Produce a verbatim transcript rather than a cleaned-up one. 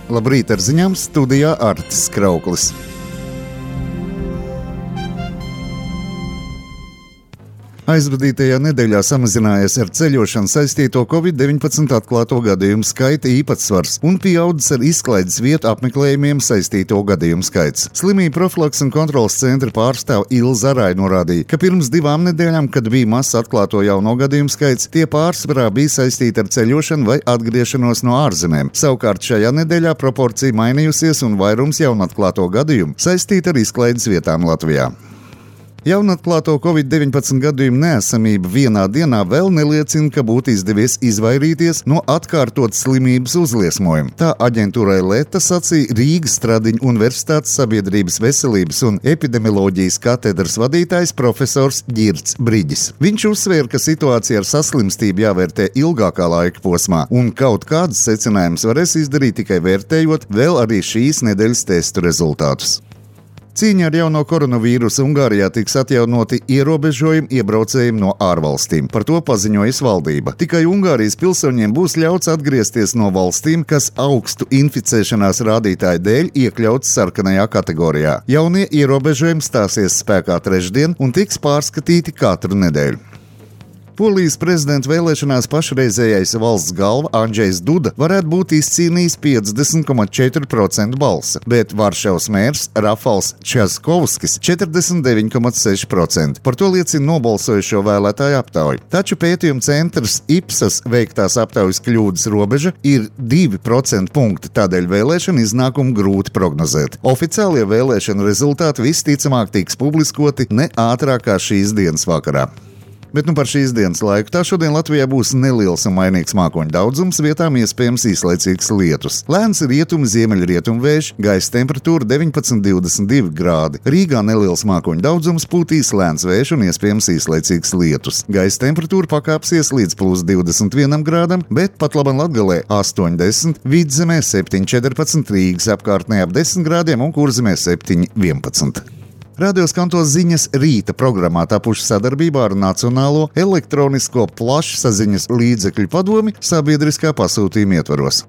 Labrīt, ar ziņām studijā Artis Krauklis. Aizvadītajā nedēļā samazinājies ar ceļošanu saistīto covid deviņpadsmit atklāto gadījumu skaita īpatsvars un pieaudzis ar izklaides vietu apmeklējumiem saistīto gadījumu skaits. Slimību profilakses un kontroles centra pārstāve Ilza Arai norādīja, ka pirms divām nedēļām, kad bija mazs atklāto jauno gadījumu skaits, tie pārsvarā bija saistīti ar ceļošanu vai atgriešanos no ārzemēm. Savukārt šajā nedēļā proporcija mainījusies un vairums jaunatklāto gadījumu saistīti ar izklaides vietām Latvijā. Jaunatklāto covid deviņpadsmit gadījumu neesamība vienā dienā vēl neliecina, ka būtu izdevies izvairīties no atkārtotas slimības uzliesmojuma. Tā aģentūrai Leta sacīja Rīgas Stradiņu Universitātes sabiedrības veselības un epidemioloģijas katedras vadītājs profesors Ģirds Briģis. Viņš uzsvēra, ka situācija ar saslimstību jāvērtē ilgākā laika posmā, un kaut kādas secinājumus varēs izdarīt tikai vērtējot vēl arī šīs nedēļas testu rezultātus. Cīņā ar jauno koronavīrusu Ungārijā tiks atjaunoti ierobežojumi iebraucējiem no ārvalstīm. Par to paziņojas valdība. Tikai Ungārijas pilsoņiem būs ļauts atgriezties no valstīm, kas augstu inficēšanās rādītāju dēļ iekļauts sarkanajā kategorijā. Jaunie ierobežojumi stāsies spēkā trešdien un tiks pārskatīti katru nedēļu. Polijas prezidenta vēlēšanās pašreizējais valsts galva Andžejs Duda varētu būt izcīnījis piecdesmit komats četri procenti balsa, bet Varšavas mērs Rafals Časkovskis četrdesmit deviņi komats seši procenti. Par to liecina nobalsojušo vēlētāju aptauja. Taču pētījuma centrs Ipsos veiktās aptaujas kļūdas robeža ir divi procenti punkti, tādēļ vēlēšanu iznākumu grūti prognozēt. Oficiālie vēlēšanu rezultāti visticamāk tiks publiskoti ne ātrāk kā šīs dienas vakarā. Bet nu par šīs dienas laiku tā šodien Latvijā būs neliels un mainīgs mākoņu daudzums, vietām iespējams īslaicīgs lietus. Lēns rietumu ziemeļrietumu vējš, gaisa temperatūra deviņpadsmit līdz divdesmit divi grādi. Rīgā neliels mākoņu daudzums, pūtīs lēns vējš un iespējams īslaicīgs lietus. Gaisa temperatūra pakāpsies līdz plus divdesmit vienam grādam, bet pat laban Latgalē astoņi desmit, Vidzemē septiņi četrpadsmit, Rīgas apkārtnē ap desmit grādiem un Kurzemē septiņi vienpadsmit. Radio Skanto ziņas rīta programmā tapuši sadarbībā ar Nacionālo elektronisko plašsaziņas līdzekļu padomi sabiedriskā pasūtījuma ietvaros.